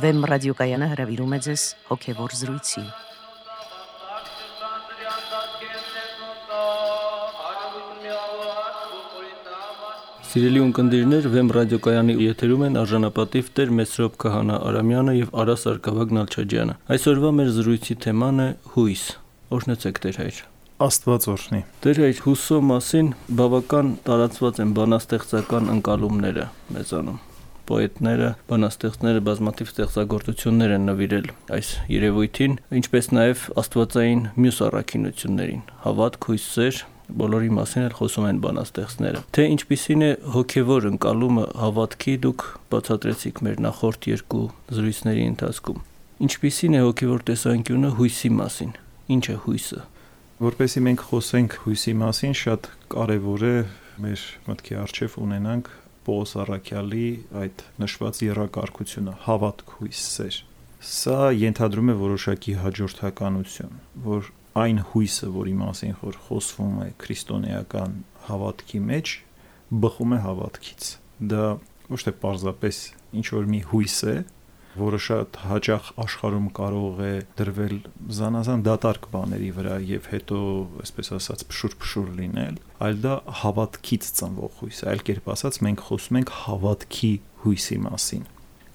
Վեմ ռադիոկայանը հրավիրում է ձեզ հոգևոր զրույցի։ Սիրելի ունկնդիրներ, Վեմ ռադիոկայանի եթերում են արժանապատիվ Տեր Մեսրոպ Քահանա Արամյանը եւ Արա Սարգսակ Նալչաջյանը։ Այսօրվա մեր զրույցի թեման է հույս։ Օրհնեցեք Տեր հայր։ Աստված օրհնի։ Տեր հայր, հուսո մասին բավական տարածված են բանաստեղծական ընկալումները մեզանում։ Պոետները, բանաստեղծները բազմաթիվ ստեղծագործություններ են նվիրել այս երևույթին, ինչպես նաև աստվածային մյուս առաքինություններին։ Հավատք, հույս, սեր, բոլորի մասին էլ խոսում են բանաստեղծները։ Թե ինչպիսին է հոգևոր ընկալումը հավատքի, դուք բացատրեցիք մեր նախորդ երկու զրույցների ընթացքում։ Ինչպիսին է հոգևոր տեսանկյունը հույսի մասին։ Ինչ է հույսը։ Որպեսզի մենք խոսենք հույսի մասին, շատ կարևոր է մեր մտքի առջև ունենանք Պողոս առաքյալի այդ նշված եռակարգությունը՝ հավատք, հույս, սեր։ Սա ենթադրում է որոշակի հաջորդականություն, որ այն հույսը, որի մասին որ խոսվում է քրիստոնեական հավատքի մեջ, բխում է հավատքից։ Դա ոչ թե պարզապես ինչ-որ մի հույս է, որը շատ հաճախ աշխարհում կարող է դրվել զանազան դատարկ բաների վրա եւ հետո, այսպես ասած, փշուր լինել, այլ դա հավատքից ծնվող հույս է։ Այլ կերպ ասած, մենք խոսում ենք հավատքի հույսի մասին,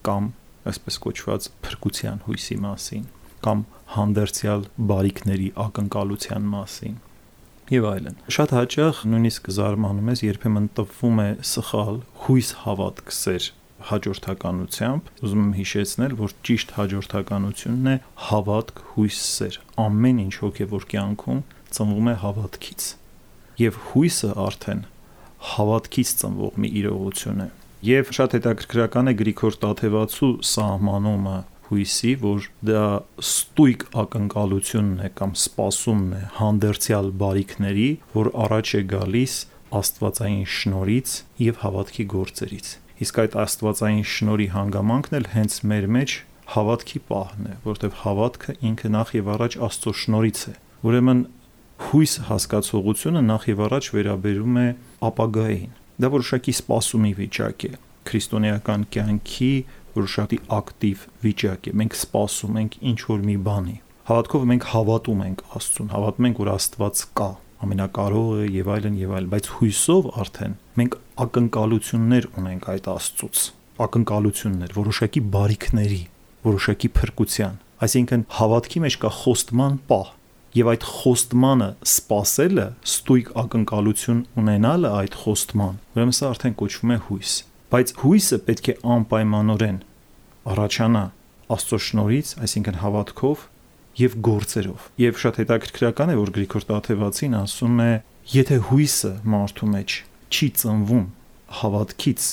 կամ այսպես կոչված փրկության հույսի մասին, կամ հանդերձյալ բարիքների ակնկալության մասին եւ այլն։ Շատ հաճախ նույնիսկ զարմանում ես, երբեմն տպվում է սխալ հույս, հավատք, սեր հաջորդականությամբ, ուզում եմ հիշեցնել, որ ճիշտ հաջորդականությունն է հավատք, հույս, սեր։ Ամեն ինչ հոգևոր կյանքում ծնվում է հավատքից։ Եվ հույսը արդեն հավատքից ծնվող մի իրողություն է։ Եվ շատ հետաքրքրական է Գրիգոր Տաթևացու սահմանումը հույսի, որ դա ստույգ ակնկալությունն է կամ սպասումն է հանդերձյալ բարիքների, որ առաջ է գալիս աստվածային շնորհից եւ հավատքի գործերից։ Իսկ այդ աստվածային շնորհի հանգամանքն էլ հենց մեր մեջ հավատքի պահն է, որտեղ հավատքը ինքը նախ եւ առաջ Աստծո շնորհից է։ Ուրեմն հույս հասկացողությունը նախ եւ առաջ վերաբերում է ապագային։ Դա որոշակի սպասումի վիճակ է, քրիստոնեական կյանքի որոշակի ակտիվ վիճակ է։ Մենք սպասում ենք ինչ-որ մի բանի։ Հավատքով մենք հավատում ենք Աստծուն, հավատում ենք, որ Աստված կա, ամենակարողը եւ այլն, բայց հույսով արդեն մենք ակնկալություններ ունենք այդ Աստծուց, ակնկալություններ, որոշակի բարիքների, որոշակի փրկության։ Այսինքն հավատքի մեջ կա խոստման պահ, եւ այդ խոստմանը սпасելը, ստույգ ակնկալություն ունենալը այդ խոստման, ուրեմն սա արդեն կոչվում է հույս։ Բայց հույսը պետք է անպայմանորեն առաջանա Աստծո շնորհից, այսինքն հավատքով եւ գործերով։ Եվ շատ հետաքրքրական է, որ Գրիգոր Տաթևացին ասում է, եթե հույսը մարդու մեջ չի ծնվում հավատքից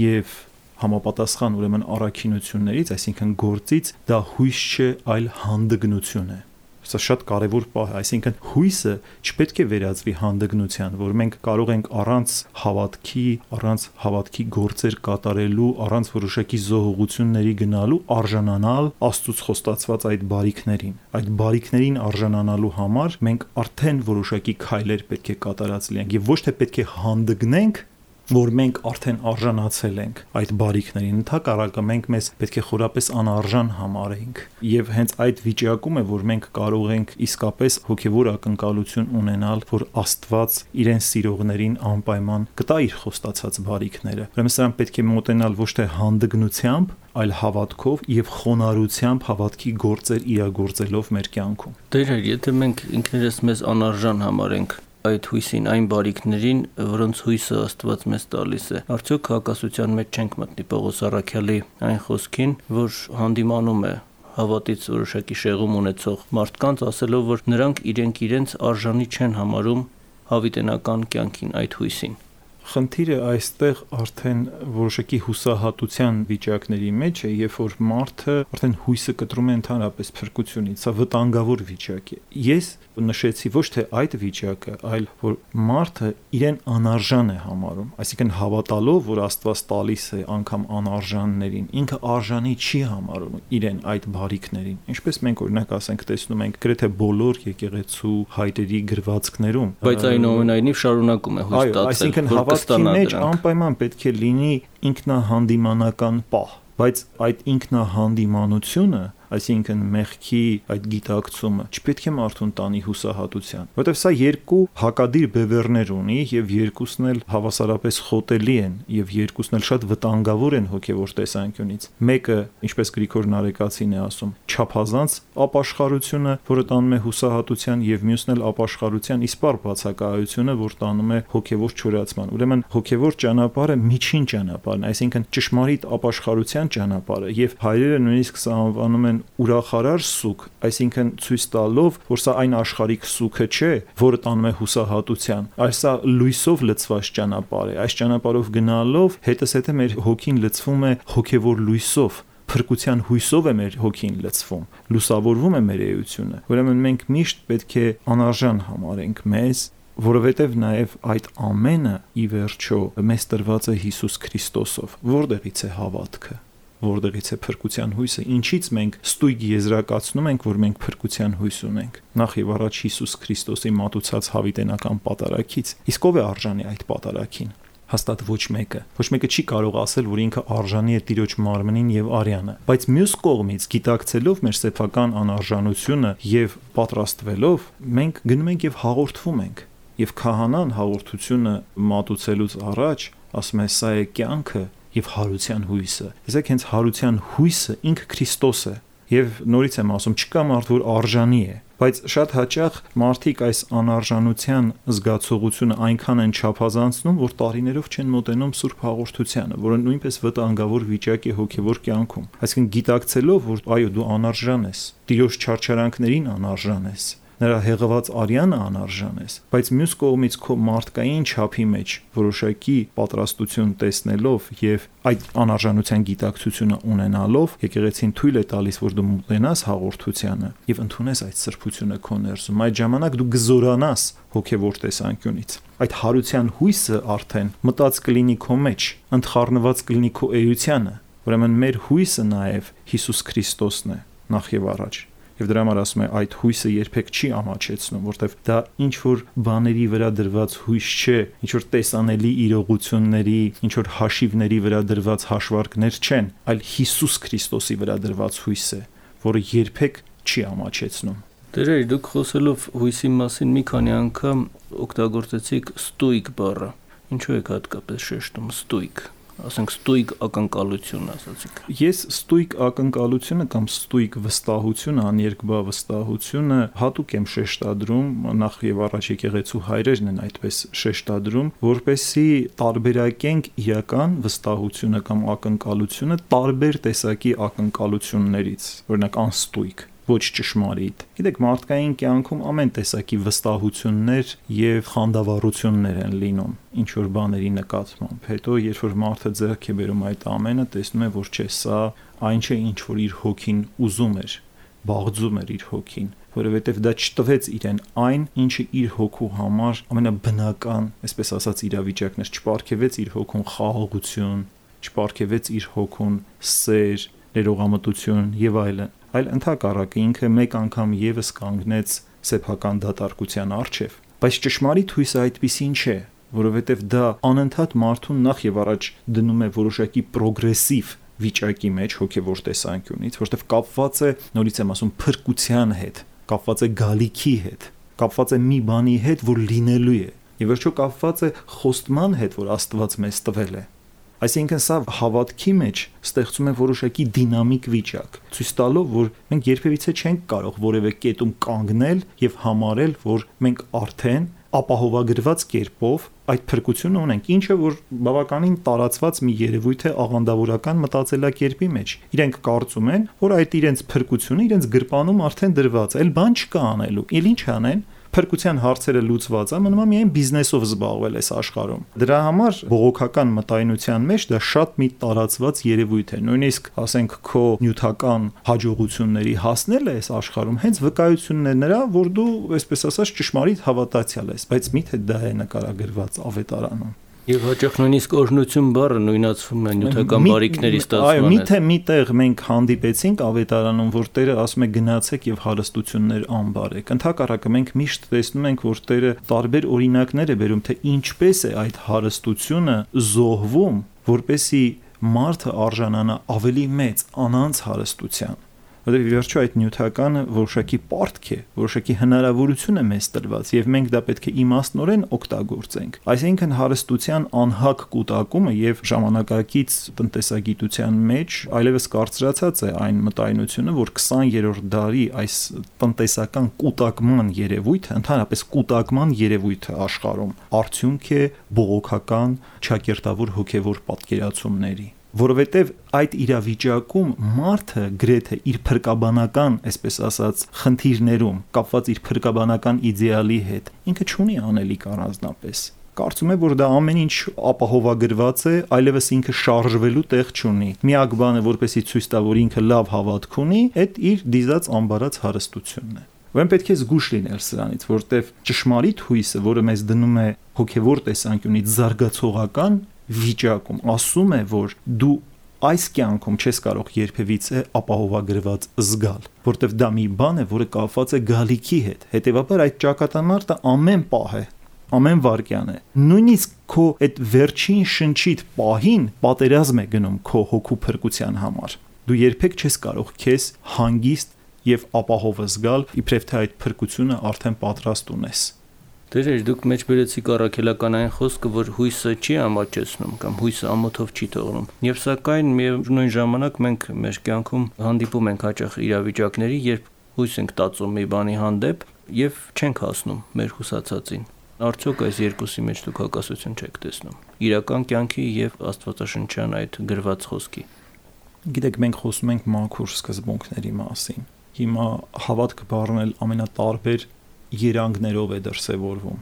եւ համապատասխան ուրեմն առաքինություններից, այսինքն գործից, դա հույս չէ, այլ հանդգնություն է։ Սա շատ կարևոր պահ է, այսինքն հույսը չպետք է վերածվի հանդգնության, որ մենք կարող ենք առանց հավատքի գործեր կատարելու, առանց որոշակի զոհողությունների գնալու արժանանալ Աստծուց խոստացված այդ բարիքներին։ Այդ բարիքներին արժանանալու համար մենք արդեն որոշակի քայլեր պետք է կատարած լինենք եւ ոչ թե պետք է հանդգնենք, որ մենք արդեն արժանացել ենք այդ բարիքներին, ընդհակառակը մենք մեզ պետք է խորապես անարժան համարենք։ Եվ հենց այդ վիճակում է, որ մենք կարող ենք իսկապես հոգևոր ակնկալություն ունենալ, որ Աստված իրեն սիրողներին անպայման կտա իր խոստացած բարիքները։ Ուրեմն սրան պետք է մոտենալ ոչ թե հանդգնությամբ, այլ հավատքով եւ խոնարհությամբ հավատքի գործեր իրագործելով մեր կյանքում։ Տեր, եթե մենք ինքներս մեզ անարժան համարենք այդ հույսին, այն բարիքներին, որոնց հույսը Աստված մեզ տալիս է, արդյոք հակասության մեջ չենք մտնի Պողոս առաքյալի այն խոսքին, որ հանդիմանում է հավատից որոշակի շեղում ունեցող մարդկանց, ասելով, որ նրանք իրենց արժանի չեն համարում հավիտենական կյանքին, այդ հույսին։ Խնդիրը այստեղ արդեն որոշակի հուսահատության վիճակների մեջ է, երբ որ մարդը արդեն հույսը կտրում է ընդհանրապես փրկությունից, սա վտանգավոր վիճակ է։ Ես նշեցի ոչ թե այդ վիճակը, այլ որ մարդը իրեն անարժան է համարում, այսինքն հավատալով, որ Աստված տալիս է անգամ անարժաններին, ինքը արժանի չի համարում իրեն այդ բարիքներին։ Ինչպես մենք օրինակ ասենք տեսնում ենք գրեթե բոլոր եկեղեցու հայրերի գրվածքներում, բայց այնուամենայնիվ շարունակում է հույս տածել, այսինքն հավատքի մեջ անպայման պետք է լինի ինքնահանդիմանական պահ, բայց այդ ինքնահանդիմանությունը, այսինքն մեղքի այդ գիտակցումը չպետք է մարդուն տանի հուսահատության, որովհետև սա երկու հակադիր բևեռներ ունի եւ երկուսն էլ հավասարապես խոտելի են եւ երկուսն էլ շատ վտանգավոր են հոգեվոր տեսանկյունից։ Մեկը, ինչպես Գրիգոր Նարեկացին է ասում, չափազանց ապաշխարությունը, որը տանում է հուսահատության, եւ մյուսն էլ ապաշխարության իսպառ բացակայությունը, որ տանում է հոգեվոր չորացման։ Ուրեմն հոգեվոր ճանապարհը միջին ճանապարհն, այսինքն ճշմարիտ ապաշխարության ճանապարհը, եւ հայրերը նույնիսկ սա անվանում են ուրախարար սուք, այսինքն ցույց տալով, որ սա այն աշխարհիկ սուքը չէ, որը տանում է հուսահատության, այլ սա լույսով լցված ճանապարհ է։ Այս ճանապարհով գնալով հետզհետե մեր հոգին լցվում է հոգևոր լույսով, փրկության հույսով է մեր հոգին լցվում, լուսավորվում է մեր էությունը։ Ուրեմն մենք միշտ պետք է անարժան համարենք մեզ, որովհետև նաև այդ ամենը ի վերջո մեզ տրված է Հիսուս Քրիստոսով։ Որտեղից է հավատքը, որտեղից է փրկության հույսը, ինչից մենք ստույգ եզրակացնում ենք, որ մենք փրկության հույս ունենք։ Նախ եւ առաջ Հիսուս Քրիստոսի մատուցած հավիտենական պատարագից։ Իսկ ով է արժանի այդ պատարագին։ Հաստատ ոչ մեկը չի կարող ասել, որ ինքը արժանի է Տիրոջ մարմնին եւ արյանը, բայց մյուս կողմից գիտակցելով մեր սեփական անարժանությունը եւ պատրաստվելով, մենք գնում ենք եւ հաղորդվում ենք։ Եվ քահանան հաղորդությունը մատուցելուց առաջ ասում է սա է կյանքը եւ հարության հույսը։ Իսկ հենց հարության հույսը ինքը Քրիստոս է։ Եվ նորից եմ ասում, չկա մարդ, որ արժանի է, բայց շատ հաճախ մարդիկ այս անարժանության զգացողությունը այնքան են չափազանցնում, որ տարիներով չեն մոտենում Սուրբ Հաղորդությանը, որը նույնպես վտանգավոր վիճակ է հոգևոր կյանքում։ Այսինքն գիտակցելով, որ այո, դու անարժան ես, Տիրոջ չարչարանքներին անարժան ես, նրա հեղված արյանը անարժան ես, բայց մյուս կողմից քո մարդկային չափի մեջ որոշակի պատրաստություն տեսնելով եւ այդ անարժանության գիտակցությունը ունենալով, եկեղեցին թույլ է տալիս, որ դու մտնես հաղորդությանը եւ ընդունես այդ սրբությունը քո ներսում։ Այդ ժամանակ դու գզորանաս հոգեվոր տեսանկյունից։ Այդ հարության հույսը արդեն մտած կլինի քո մեջ, ընդխառնված կլինի քո էությանը։ Ուրեմն մեր հույսը նաեւ Հիսուս Քրիստոսն է նախ եւ առաջ։ Եվ դրա համար ասում է այդ հույսը երբեք չի ամաչեցնում, որտեվ դա ինչ որ բաների վրա դրված հույս չէ, ինչ որ տեսանելի իրողությունների, ինչ որ հաշիվների վրա դրված հաշվարկներ չեն, այլ Հիսուս Քրիստոսի վրա դրված հույս է, որը երբեք չի ամաչեցնում։ Դերեր, դուք խոսելով հույսի մասին մի քանի անգամ օգտագործեցիք ստույգ բառը։ Ինչու եք հատկապես շեշտում ստույգ։ Ասենք ստույգ ակնկալություն ասացիք։ Ես ստույգ ակնկալությունը կամ ստույգ վստահությունը, աներկբա վստահությունը հատուկ եմ շեշտադրում, նախ եւ առաջ եկեղեցու հայրերն են այդպես շեշտադրում, որպեսզի տարբերակենք իրական վստահությունը կամ ակնկալությունը տարբեր տեսակի ակնկալություններից, օրինակ անստույգ, ոչ ճշմարիտ։ Գիտեք, մարդկային կյանքում ամեն տեսակի վստահություններ եւ խանդավառություններ են լինում ինչ որ բաների նկատմամբ։ Հետո երբ որ մարդը ձեռք է բերում այդ ամենը, տեսնում է, որ չէ, սա այն չէ, ինչ որ իր հոգին ուզում էր, բաղձում էր իր հոգին, որովհետեւ դա չտվեց իրեն այն, ինչը իր հոգու համար ամենաբնական, այսպես ասած, իրավիճակն էր, չպարգևեց իր հոգուն խաղաղություն, չպարգևեց իր հոգուն սեր, ներողամտություն եւ այլն։ Այլ ընդհակառակը ինքը մեկ անգամ եւս կանգնեց սեփական դատարկության առջև։ Բայց ճշմարիտ հույսը այդպիսին չէ, որովհետեւ դա անընդհատ մարդուն նախ եւ առաջ դնում է որոշակի պրոգրեսիվ վիճակի մեջ հոգեվոր տեսանկյունից, որովհետեւ կապված է, նորից եմ ասում, փրկության հետ, կապված է գալիքի հետ, կապված է մի բանի հետ, որ լինելու է, եւ վերջո կապված է խոստման հետ, որ Աստված մեզ տվել է։ Այսինքն սա հավատքի մեջ ստեղծում է որոշակի դինամիկ վիճակ, ցույց տալով, որ մենք երբևիցե չենք կարող որևէ կետում կանգնել եւ համարել, որ մենք արդեն ապահովագրված կերպով այդ փրկությունը ունենք, ինչը որ բավականին տարածված մի երևույթ է աղանդավորական մտածելակերպի մեջ։ Իրենք կարծում են, որ այդ իրենց փրկությունը իրենց գրպանում արդեն դրված է, այլ բան չկա անելու։ Էլ ինչ անեն։ Փրկության հարցերը լուծված է, մնում է միայն բիզնեսով զբաղվել այս աշխարհում։ Դրա համար բողոքական մտայնության մեջ դա շատ մի տարածված երևույթ է։ Նույնիսկ, ասենք, քո նյութական հաջողությունների հասնելը այս աշխարհում հենց վկայությունն է նրա, որ դու, այսպես ասած, ճշմարիտ հավատացյալ ես, բայց միթե դա է նկարագրված ավետարանում։ Եվ հաճախ նույնիսկ օրհնություն բառը նույնացվում է նյութական բարիքների ստացման հետ։ Այո, միթե միտեղ մենք հանդիպեցինք ավետարանում, որ Տերը ասում է գնացեք եւ հարստություններ անբարեք։ Ընդհակառակը մենք միշտ տեսնում ենք, որ Տերը տարբեր օրինակներ է բերում, թե ինչպես է այդ հարստությունը զոհվում, որպեսի մարդը արժանանա ավելի մեծ անանց հարստության, որովհետև ի վերջո այդ նյութականը որոշակի պարտք է, որոշակի հնարավորություն է մեզ տրված եւ մենք դա պետք է իմաստնորեն օգտագործենք։ Այսինքն հարստության անհակ կուտակումը եւ ժամանակակից տնտեսագիտության մեջ այլևս կարծրացած է այն մտայնությունը, որ 20-րդ դարի այս տնտեսական կուտակման երևույթը, ընդհանրապես կուտակման երևույթը աշխարհում արդյունք է բողոքական ճակերտավոր հոգեվոր պատկերացումների, որովհետև այդ իրավիճակում մարդը գրեթե իր փրկաբանական, այսպես ասած, խնդիրներում կապված իր փրկաբանական իդեալի հետ ինքը չունի անելիք առանձնապես։ Կարծում եմ, որ դա ամեն ինչ ապահովագրված է, այլևս ինքը շարժվելու տեղ չունի։ Միակ բանը, որպեսզի ցույց տա, որ ինքը լավ հավատք ունի, այդ իր դիզած ամբարած հարստությունն է։ Ուրեմն պետք է զգուշ լինել սրանից, որտեվ ճշմարիտ հույսը, որը մեզ դնում է հոգևոր տեսանկյունից զարգացողական վիճակում, ասում է, որ դու այս կյանքում չես կարող երբևիցե ապահովագրված զգալ, որտեվ դա մի բան է, որը կապված է գալիքի հետ։ Հետևաբար այդ ճակատամարտը ամեն պահ է, ամեն վայրկյան է։ Նույնիսկ քո այդ վերջին շնչիտ պահին պատերազմ է գնում քո հոգու փրկության համար։ Դու երբեք չես կարող քեզ հանգիստ եւ ապահով զգալ, իբրև թե այդ փրկությունը արդեն պատրաստ ունես։ Դերեր դուք մեջ բերեցիք առաքելական այն խոսքը, որ հույսը չի ամաչեցնում կամ հույսը ամոթով չի թողնում։ Եվ սակայն միևնույն ժամանակ մենք մեր կյանքում հանդիպում ենք հաճախ իրավիճակների, երբ հույս ենք տածում մի բանի հանդեպ եւ չենք հասնում մեր հուսացածին։ Արդյոք այս երկուսի մեջ դուք հակասություն չեք տեսնում։ Իրական կյանքի եւ աստվածաշնչյան այդ գրված խոսքի։ Գիտեք, մենք խոսում ենք մաքուր սկզբունքների մասին։ Հիմա հավատքը բառնել ամենատարբեր երանգներով է դրսևորվում։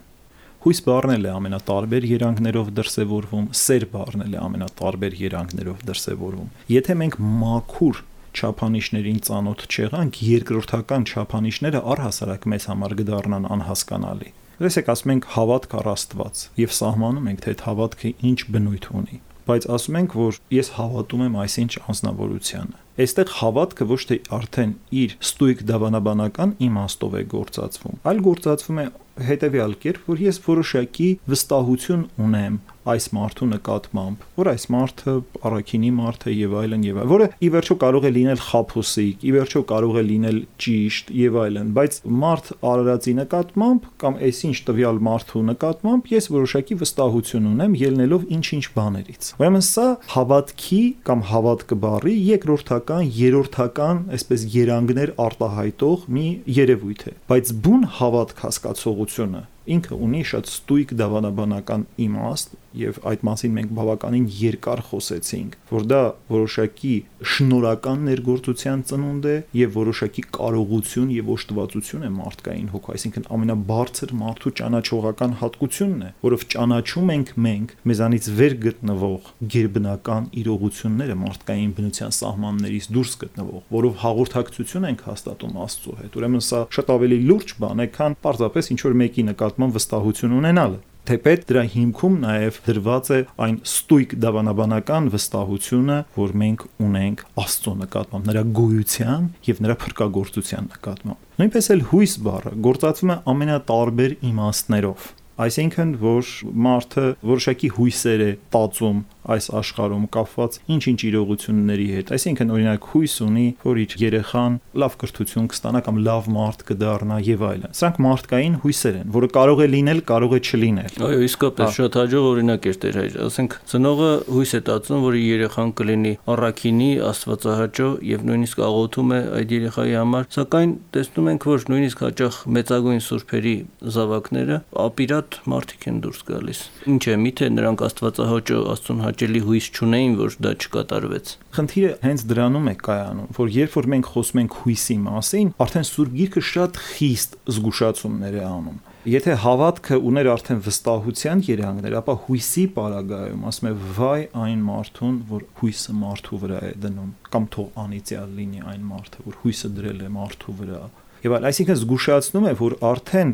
Հույս բառն է ամենատարբեր երանգներով դրսևորվում, սեր բառն է ամենատարբեր երանգներով դրսևորվում։ Եթե մենք մաքուր չափանիշներին ծանոթ չեղանք, երկրորդական չափանիշները առհասարակ մեզ համար կդառնան անհասկանալի։ Եսեք ասում ենք հավատք առ Աստված եւ սահմանում ենք, թե այդ հավատքը ինչ բնույթ ունի։ Բայց ասում ենք, որ ես հավատում եմ այսինչ անձնավորությանը։ Այստեղ հավատքը ոչ թե արդեն իր ստույգ դավանաբանական իմաստով է գործածվում, այլ գործածվում է հետևյալ կերպ, որ ես որոշակի վստահություն ունեմ այս մարդու նկատմամբ, որ այս մարդը առաքինի մարդ է եւ այլն, որը ի վերջո կարող է լինել խաբուսիկ, ի վերջո կարող է լինել ճիշտ եւ այլն, բայց մարդ արարածի նկատմամբ կամ այսինչ տվյալ մարդու նկատմամբ ես որոշակի վստահություն ունեմ ելնելով ինչ-ինչ բաներից։ Ուրեմն սա հավատքի կամ հավատքը բառի երկրորդական, երրորդական, այսպես երանգներ արտահայտող մի երևույթ է, բայց բուն հավատք հասկացողությունը ինքը ունի շատ ստույգ դավանաբանական իմաստ եւ այդ մասին մենք բավականին երկար խոսեցինք, որ դա որոշակի շնորհական ներգործության ծնունդ է եւ որոշակի կարողություն եւ օժտվածություն է մարդկային հոգու, այսինքն ամենաբարձր մարդու ճանաչողական հատկությունն է, որով ճանաչում ենք մենք մեզանից վեր գտնվող գերբնական իրողությունները մարդկային բնության սահմաններից դուրս գտնվող, որով հաղորդակցություն ենք հաստատում Աստծո հետ։ Ուրեմն սա շատ ավելի լուրջ բան է, քան պարզապես ինչ որ մեկի նկատմամբ վստահություն ունենալը։ Թեպետ դրա հիմքում նաև դրված է այն ստույգ դավանաբանական վստահությունը, որ մենք ունենք Աստծո նկատմամբ, նրա գոյության եւ նրա փրկagorցության նկատմամբ։ Նույնպես էլ հույս բառը գործածվում է ամենատարբեր իմաստներով։ Այսինքն, որ մարդը որոշակի հույսեր է տածում այս աշխարհում կապված ինչ-ինչ իրողությունների հետ։ Այսինքն, օրինակ, հույս ունի, որ իր երեխան լավ կրթություն կստանա կամ լավ մարդ կդառնա եւ այլն։ Սրանք մարդկային հույսեր են, որը կարող է լինել, կարող է չլինել։ Այո, իսկապես շատ հաջող օրինակ էր Տեր հայր։ Ասենք, ծնողը հույս է տածում, որ իր երեխան կլինի առաքինի, աստվածահաճո եւ նույնիսկ աղոթում է այդ երեխայի համար, սակայն տեսնում ենք, որ նույնիսկ հաճախ մեծագույն սուրբերի զավակները ապիրատ մարդիկ են դուրս գալիս։ Ինչ է, միթե նրանք աստվածահաճո Աստծուն հաճելի հույս չունեին, որ դա չկատարվեց։ Խնդիրը հենց դրանում է կայանում, որ երբ որ մենք խոսում ենք հույսի մասին, արդեն Սուրբ Գիրքը շատ խիստ զգուշացումներ է անում։ Եթե հավատքը ուներ արդեն վստահության երանգներ, ապա հույսի պարագայում ասում է վայ այն մարդուն, որ հույսը մարդու վրա է դնում, կամ թող անիծյալ լինի այն մարդը, որ հույսը դրել է մարդու վրա։ Եվ այլ, այսինքն զգուշացնում է, որ արդեն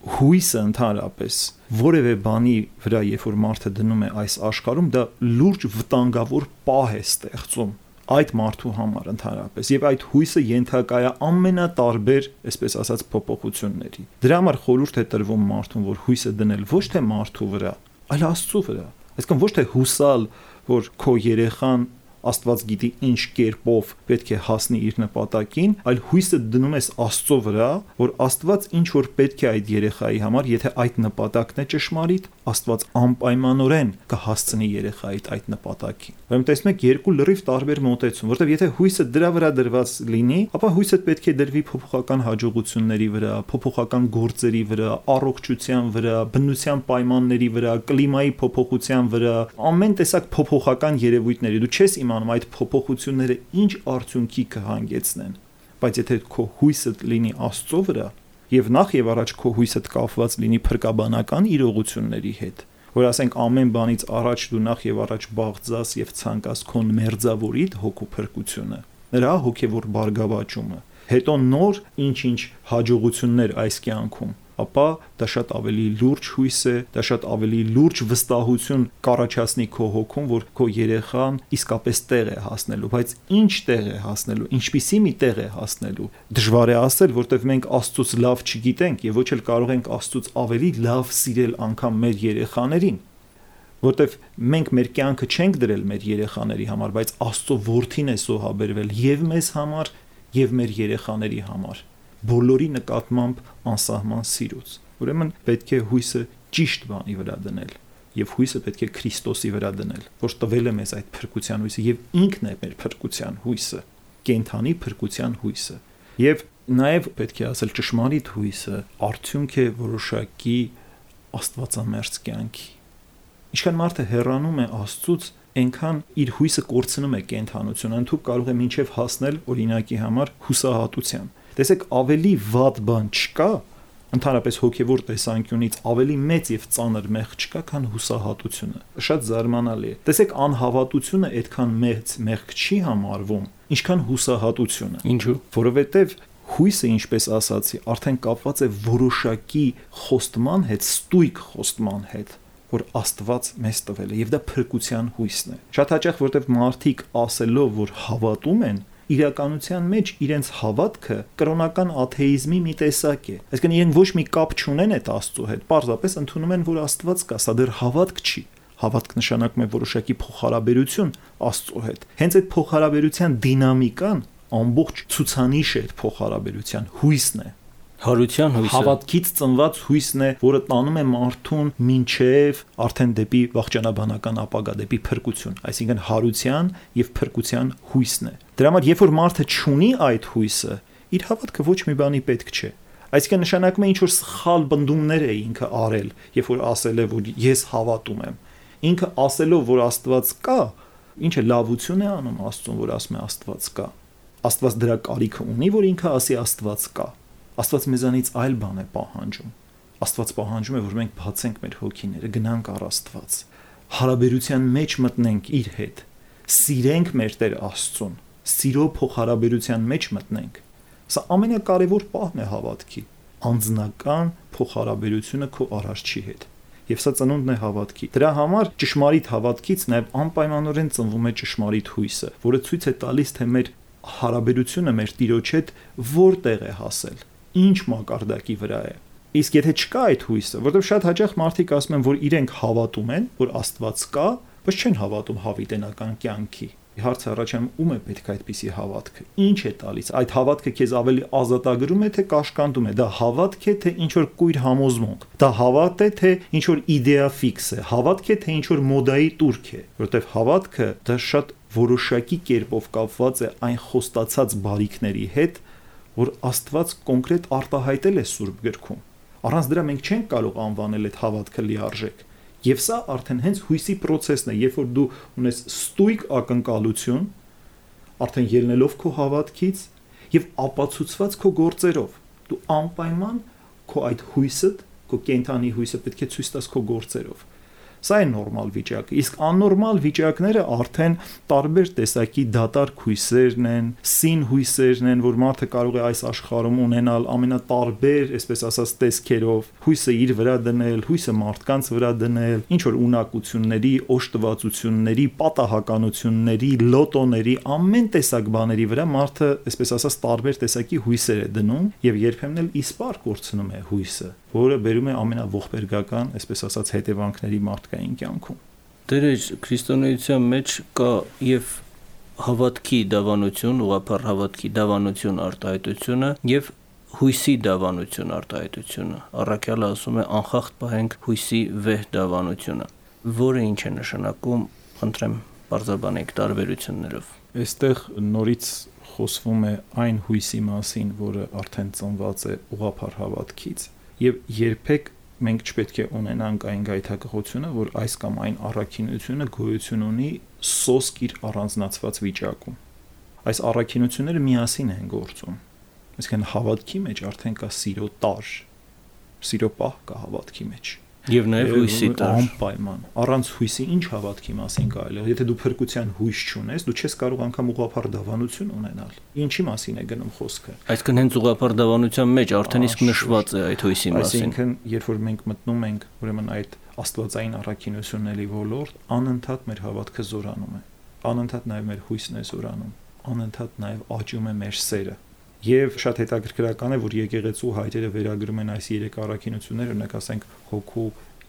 հույսը ընդհանրապես որևէ բանի վրա, երբ որ մարդը դնում է այս աշխարհում, դա լուրջ վտանգավոր պահ է ստեղծում այդ մարդու համար ընդհանրապես, եւ այդ հույսը ենթակա է ամենատարբեր, այսպես ասած, փոփոխությունների։ Դրա համար խորհուրդ է տրվում մարդուն, որ հույսը դնել ոչ թե մարդու վրա, այլ Աստծո վրա։ Այսինքն ոչ թե հուսալ որ քո երեխան Աստված գիտի ինչ կերպով պետք է հասնի իր նպատակին, այլ հույսը դնում ես Աստծո վրա, որ Աստված ինչ որ պետք է այդ երեխայի համար, եթե այդ նպատակն է ճշմարիտ, Աստված անպայմանորեն կհասցնի երեխայիդ այդ նպատակին։ Ուրեմն տեսնում եք երկու լրիվ տարբեր մոտեցում, որտեղ եթե հույսը դրա վրա դրված լինի, ապա հույսը պետք է դրվի փոփոխական հաջողությունների վրա, փոփոխական գործերի վրա, առողջության վրա, բնության պայմանների վրա, կլիմայի փոփոխության վրա, ամեն տեսակ փոփոխական երևույթների։ Դու չես իմանում այդ փոփոխությունները ինչ արդյունքի կհանգեցնեն, բայց եթե քո հույսը լինի Աստծո վրա, եւ նախ եւ առաջ քո հույսը կապված լինի փրկաբանական իրողությունների հետ, որ ասենք ամեն բանից առաջ դու նախ եւ առաջ բաղձաս եւ ցանկաս քո մերձավորիդ հոգու փրկությունը, նրա հոգեվոր բարգավաճումը, հետո նոր ինչ-ինչ հաջողություններ այս կյանքում, ապա դա շատ ավելի լուրջ հույս է, դա շատ ավելի լուրջ վստահություն կառաջացնի քո հոգում, որ քո երեխան իսկապես տեղ է հասնելու, բայց ինչ տեղ է հասնելու, ինչպիսի մի տեղ է հասնելու։ Դժվար է ասել, որտեղ մենք Աստծուց լավ չգիտենք եւ ոչ էլ կարող ենք Աստծուց ավելի լավ սիրել անգամ մեր երեխաներին, որտեղ մենք մեր կյանքը չենք դրել մեր երեխաների համար, բայց Աստծո որդին է զոհաբերվել եւ մեզ համար եւ մեր երեխաների համար, բոլորի նկատմամբ անսահման սիրուց։ Ուրեմն պետք է հույսը ճիշտ բանի վրա դնել եւ հույսը պետք է Քրիստոսի վրա դնել, որ տվել է մեզ այդ փրկության հույսը եւ ինքն է մեր փրկության հույսը, կենթանի փրկության հույսը։ Եվ նաեւ պետք է ասել ճշմարիտ հույսը արդյունք է որոշակի աստվածամերձ կյանքի։ Ինչքան մարդը հեռանում է Աստծուց, այնքան իր հույսը կորցնում է կենթանությունը, ընդհանուր կարող է մինչև հասնել օրինակի համար հուսահատության։ Տեսեք, ավելի վատ բան չկա, ընդհանրապես հոգևոր տեսանկյունից ավելի մեծ եւ ծանր մեղք չկա, քան հուսահատությունը։ Շատ զարմանալի է։ Տեսեք, անհավատությունը այդքան մեծ մեղք չի համարվում, ինչքան հուսահատությունը։ Ինչու՞։ Որովհետեւ հույսը, ինչպես ասացի, արդեն կապված է որոշակի խոստման հետ, ստույգ խոստման հետ, որ Աստված մեզ տվել է, եւ դա փրկության հույսն է։ Շատ հաճախ, որտեղ մարդիկ ասելով, որ հավատում են, իրականության մեջ իրենց հավատքը կրոնական աթեիզմի մի տեսակ է։ Այսինքն իրենք ոչ մի կապ չունեն այդ Աստծո հետ, պարզապես ընդունում են, որ Աստված կա, սա դեռ հավատք չի։ Հավատք նշանակում է որոշակի փոխհարաբերություն Աստծո հետ։ Հենց այդ փոխհարաբերության դինամիկան ամբողջ ցուցանիշ է այդ փոխհարաբերության հույսն է։ Հարության հույսը, հավատքից ծնված հույսն է, որը տանում է մարդուն մինչև արդեն դեպի վաղճանաբանական ապագա, դեպի փրկություն, այսինքն հարության եւ փրկության հույսն է։ Դրա համար, երբ որ մարդը չունի այդ հույսը, իր հավատքը ոչ մի բանի պետք չէ։ Այսինքն նշանակում է ինչ որ սխալ բնդումներ է ինքը արել, երբ որ ասել է, որ ես հավատում եմ։ Ինքը ասելով, որ Աստված կա, ինչը լավություն է անում Աստծուն, որ ասում է Աստված կա։ Աստված դրա կարիքը ունի, որ ինքը ասի Աստված կա։ Աստված մեզանից այլ բան է պահանջում։ Աստված պահանջում է, որ մենք բացենք մեր հոգիները, գնանք առ Աստված, հարաբերության մեջ մտնենք իր հետ, սիրենք մեր Տեր Աստծուն, սիրո փոխհարաբերության մեջ մտնենք։ Սա ամենակարևոր պահն է հավատքի, անձնական փոխհարաբերությունը քո Արարչի հետ։ Եվ սա ծնունդն է հավատքի։ Դրա համար ճշմարիտ հավատքից նաև անպայմանորեն ծնվում է ճշմարիտ հույսը, որը ցույց է տալիս, թե մեր հարաբերությունը մեր Տիրոջ հետ որտեղ է հասել, ինչ մակարդակի վրա է։ Իսկ եթե չկա այդ հույսը, որովհետև շատ հաճախ մարդիկ ասում են, որ իրենք հավատում են, որ Աստված կա, բայց չեն հավատում հավիտենական կյանքի։ Հարցը առաջանում, ում է պետք այդպիսի հավատքը։ Ինչ է տալիս։ Այդ հավատքը քեզ ավելի ազատագրում է, թե կաշկանդում է։ Դա հավատք է, թե ինչ որ կույր համոզմունք։ Դա հավատ է, թե ինչ որ իդեա ֆիքս է։ Հավատք է, թե ինչ որ մոդայի տուրք է։ Որովհետև հավատքը դա շատ որոշակի կերպով կապված է այն խոստացած բարիքների հետ, որ Աստված կոնկրետ արտահայտել է Սուրբ գրքում։ Առանց դրա մենք չենք կարող անվանել այդ հավատքը լիարժեք։ Եվ սա արդեն հենց հույսի process-ն է, երբ որ դու ունես ստույգ ակնկալություն, արդեն ելնելով քո հավատքից եւ ապացուցված քո գործերով, դու անպայման քո այդ հույսը, քո կենթանի հույսը պետք է ցույց տաս քո գործերով։ Սա է նորմալ վիճակը, իսկ աննորմալ վիճակները արդեն տարբեր տեսակի դատարկ հույսերն են, սին հույսերն են, որ մարդը կարող է այս աշխարհում ունենալ ամենատարբեր, այսպես ասած, տեսքերով, հույսը իր վրա դնել, հույսը մարդկանց վրա դնել, ինչ որ ունակությունների, օժտվածությունների, պատահականությունների, լոտոների, ամեն տեսակ բաների վրա մարդը, այսպես ասած, տարբեր տեսակի հույսեր է դնում եւ երբեմն էլ իսպար կորցնում է հույսը, որը բերում է ամենաողբերգական, այսպես ասած, հետևանքների մարդկային կյանքում։ Դերեր քրիստոնեության մեջ կա եւ հավատքի դավանություն, ուղղափառ հավատքի դավանություն արտահայտությունը եւ հույսի դավանություն արտահայտությունը։ Առաքյալը ասում է անխախտ պահենք հույսի վեհ դավանությունը, որը ինչ է նշանակում, խնդրեմ բարձրաբանեք տարբերություններով։ Այստեղ նորից խոսվում է այն հույսի մասին, որը արդեն ծնված է ուղղափառ հավատքից, եւ երբեք մենք չպետք է ունենանք այն գայթակղությունը, որ այս կամ այն առաքինությունը գոյություն ունի սոսկ իր առանձնացված վիճակում։ Այս առաքինությունները միասին են գործում։ Այսինքն հավատքի մեջ արդեն կա սիրո տար, սիրո պահ կա հավատքի մեջ։ Եվ նաև հույսի տար։ Անպայման։ Առանց հույսի ինչ հավատքի մասին կարելի է։ Եթե դու փրկության հույս չունես, դու չես կարող անգամ ուղղափառ դավանություն ունենալ։ Ինչի մասին է գնում խոսքը։ Այսինքն հենց ուղղափառ դավանության մեջ արդեն իսկ նշված է այդ հույսի մասին։ Այսինքն, երբ որ մենք մտնում ենք, ուրեմն այդ աստվածային առաքինությունների ոլորտ, անընդհատ մեր հավատքը զորանում է։ Անընդհատ նաև մեր հույսն է զորանում։ Անընդհատ նաև աճում է մեր սերը։ Եվ շատ հետաքրքրական է, որ եկեղեցու հայրերը վերագրում են այս երեք առաքինությունները, օրինակ ասենք հոգու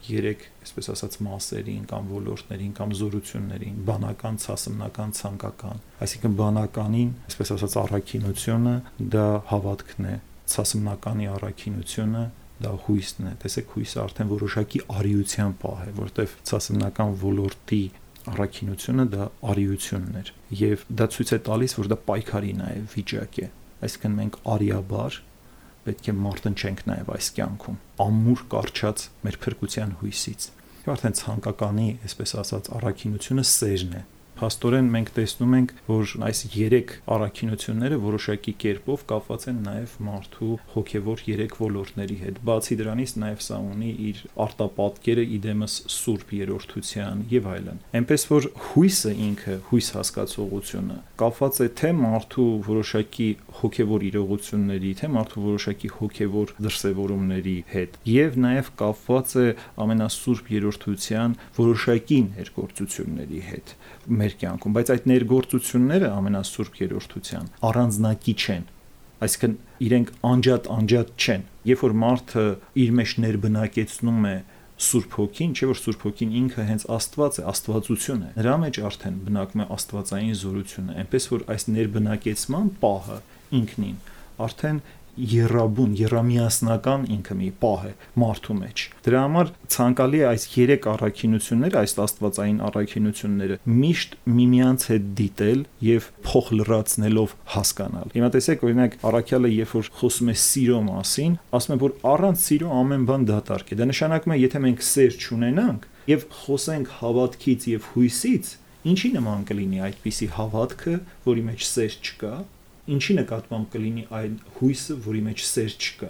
երեք, այսպես ասած, մասերին կամ ոլորտներին կամ զորություններին, բանական, ցասմնական, ցանկական։ Այսինքն բանականին, այսպես ասած, առաքինությունը դա հավատքն է, ցասմնականի առաքինությունը դա հույսն է։ Տեսեք, հույսը արդեն որոշակի արիության պահ է, որտեղ ցասմնական ոլորտի առաքինությունը դա արիությունն էր, եւ դա ցույց է տալիս, որ դա պայքարի նաև վիճակ է։ Այսինքն մենք արիաբար պետք է մարտնչենք նաև այս կյանքում, ամուր կարճած մեր փրկության հույսից։ Արդեն ցանկականի, այսպես ասած, առաքինությունը սերն է։ Փաստորեն մենք տեսնում ենք, որ այս երեք առաքինությունները որոշակի կերպով կապված են նաև մարդու հոգևոր երեք ոլորտների հետ։ Բացի դրանից նաև սա ունի իր արտապատկերը իդեմս Սուրբ Երրորդության եւ այլն։ Այնպես որ հույսը ինքը, հույս հասկացողությունը կապված է թե մարդու որոշակի հոգևոր իրողությունների, թե մարդու որոշակի հոգևոր դրսևորումների հետ եւ նաև կապված է ամենասուրբ Երրորդության որոշակի ներգործությունների հետ մեր կյանքում, բայց այդ ներգործությունները ամենասուրբ Երրորդության առանձնակի չեն, այսինքն իրենք անջատ չեն։ Երբ որ մարդը իր մեջ ներբնակեցնում է Սուրբ Հոգին, չէ՞ որ Սուրբ Հոգին ինքը հենց Աստված է, աստվածություն է, նրա մեջ արդեն բնակվում է աստվածային զորությունը, այնպես որ այս ներբնակեցման պահը ինքնին արդեն երամիասնական ինքը մի պահ է մարդու մեջ։ Դրա համար ցանկալի է այս երեք առաքինությունները, այս աստվածային առաքինությունները միշտ միմյանց հետ դիտել եւ փոխ լրացնելով հասկանալ։ Հիմա տեսեք, օրինակ առաքյալը երբ որ խոսում է սիրո մասին, ասում է, որ առանց սիրո ամեն բան դատարկ է։ Դա նշանակում է, եթե մենք սեր չունենանք եւ խոսենք հավատքից եւ հույսից, ինչի նման կլինի այդպիսի հավատքը, որի մեջ սեր չկա։ Ինչի նկատմամբ կլինի այն հույսը, որի մեջ սեր չկա։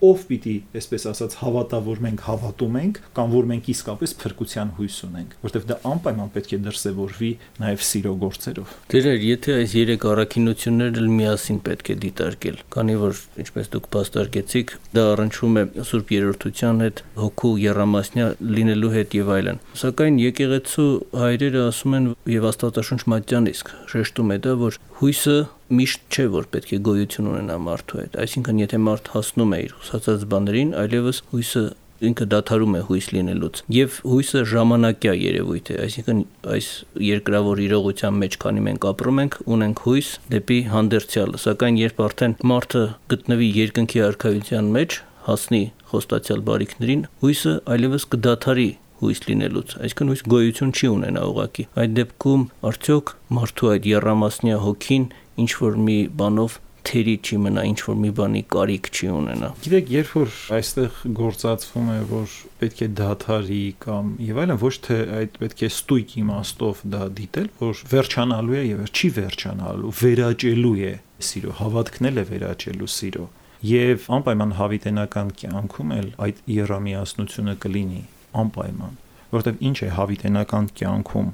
Ով պիտի, այսպես ասած, հավատա, որ մենք հավատում ենք, կամ որ մենք իսկապես փրկության հույս ունենք, որտեղ դա անպայման պետք է դրսևորվի նաև սիրո գործերով։ Դերեր, եթե այս երեք առաքինությունները միասին պետք է դիտարկել, քանի որ, ինչպես դուք բաստարկեցիք, դա առնչվում է Սուրբ Երրորդության հետ, հոգու եռամասնյա լինելու հետ եւ այլն։ Սակայն եկեղեցու հայրերը ասում են եւ Աստվածաշունչ մատյան իսկ շեշտում է դա, որ հույսը միշտ չէ, որ պետք է գոյություն ունենա մարդու հետ։ Այսինքն, եթե մարդ հասնում է իր խոսած բաներին, այլևս հույսը ինքը դադարում է հույս լինելուց։ Եվ հույսը ժամանակյա երևույթ է, այսինքն այս երկրավոր իրողության մեջ, քանի մենք ապրում ենք, ունենք հույս դեպի հանդերձյալը, սակայն երբ արդեն մարդը գտնվի երկնքի արքայության մեջ, հասնի խոստացյալ բարիքներին, հույսը այլևս կդադարի հույս լինելուց, այսինքն հույս գոյություն չի ունենա ուղղակի։ Այդ դեպքում արդյոք մարդու այդ եռամասնյա հոգին ինչ որ մի բանով թերի չի մնա, ինչ որ մի բանի կարիք չի ունենա։ Գիտեք, երբ որ այստեղ գործածվում է, որ պետք է դադարի կամ եւ այլն, ոչ թե այդ պետք է ստույգ իմաստով դա դիտել, որ վերջանալու է եւ չի վերջանալու, վերաճելու է սիրո, հավատքն է վերաճելու սիրո։ Եվ անպայման հավիտենական կյանքում էլ այդ եռամիասնությունը կլինի անպայման, որովհետև ինչ է հավիտենական կյանքում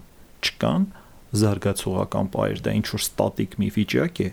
չկան զարգացողական պայեր, դա ինչ որ ստատիկ մի վիճակ է։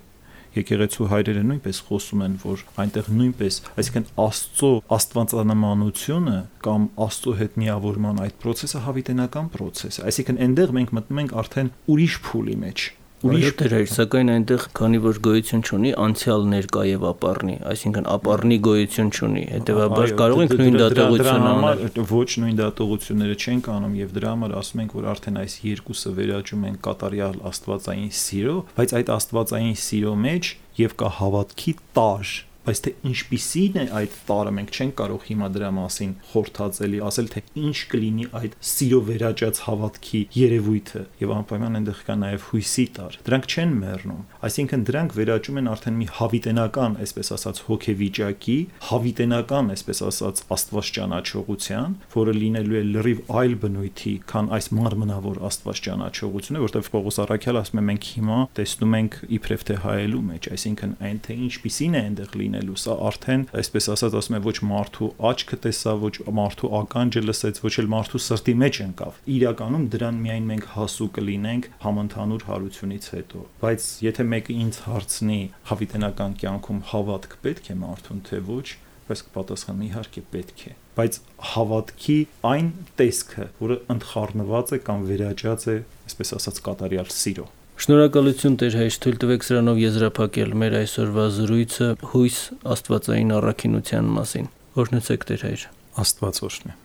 Եկեղեցու հայրերը նույնպես խոսում են, որ այնտեղ նույնպես, այսինքն Աստծո աստվածանմանությունը կամ Աստծո հետ միավորման այդ process-ը հավիտենական process է։ Այսինքն այնտեղ մենք մտնում ենք արդեն ուրիշ փուլի մեջ, Ուրիշ դեր, սակայն այնտեղ քանի որ գոյություն չունի, անցյալ ներկա եւ ապառնի, այսինքն ապառնի գոյություն չունի, հետեւաբար կարող ենք նույն դատողությունը անել։ Ոչ նույն դատողությունները չենք անում եւ դրա համար ասում ենք, որ արդեն այս երկուսը վերաճում են կատարյալ աստվածային սիրո, բայց այդ աստվածային սիրո մեջ եւ կա հավատքի տար, բայց թե ինչպիսին է այդ տարը մենք չենք կարող հիմա դրա մասին խորհրդածելի ասել, թե ինչ կլինի այդ սիրո վերաճած հավատքի երևույթը եւ անպայման այնտեղ կա նաեւ հույսի տար, դրանք չեն մեռնում, այսինքն դրանք վերաճում են արդեն մի հավիտենական, այսպես ասած, հոգեվիճակի, հավիտենական, այսպես ասած, աստված ճանաչողության, որը լինելու է լրիվ այլ բնույթի, քան այս մարմնավոր աստված ճանաչողությունը, որտեղ Պողոս առաքյալը ասում է մենք հիմա տեսնում ենք իբրև թե հայելու մեջ, այսինքն այն թե ինչպիսին է այնտեղ լինելու, սա արդեն, այսպես ասած, ասում է ոչ մարդու աչքը տեսա, ոչ մարդու ականջը լսեց, ոչ էլ մարդու սրտի մեջ ընկավ։ Իրականում դրան միայն մենք հասու կլինենք համընդհանուր հարությունից հետո։ Բայց եթե մեկը ինձ հարցնի հավիտենական կյանքում հավատք պետք է մարդուն, թե ոչ, բայց կպատասխանեմ իհարկե պետք է, բայց հավատքի այն տեսքը, որը ընդխառնված է կամ վերաճած է, այսպես ասած, կատարյալ սիրո։ Շնորհակալություն Տեր հայր, թույլ տվեք սրանով եզրափակել մեր այսօրվա զրույցը հույս աստվածային առաքինության մասին։ Օրհնեցեք Տեր հայր։ Աստված օրհնի։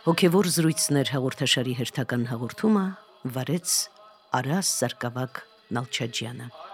Հոգևոր զրույցներ հաղորդաշարի հերթական հաղորդումը վարեց Արաս Սարգսակ Նալչաջյանը։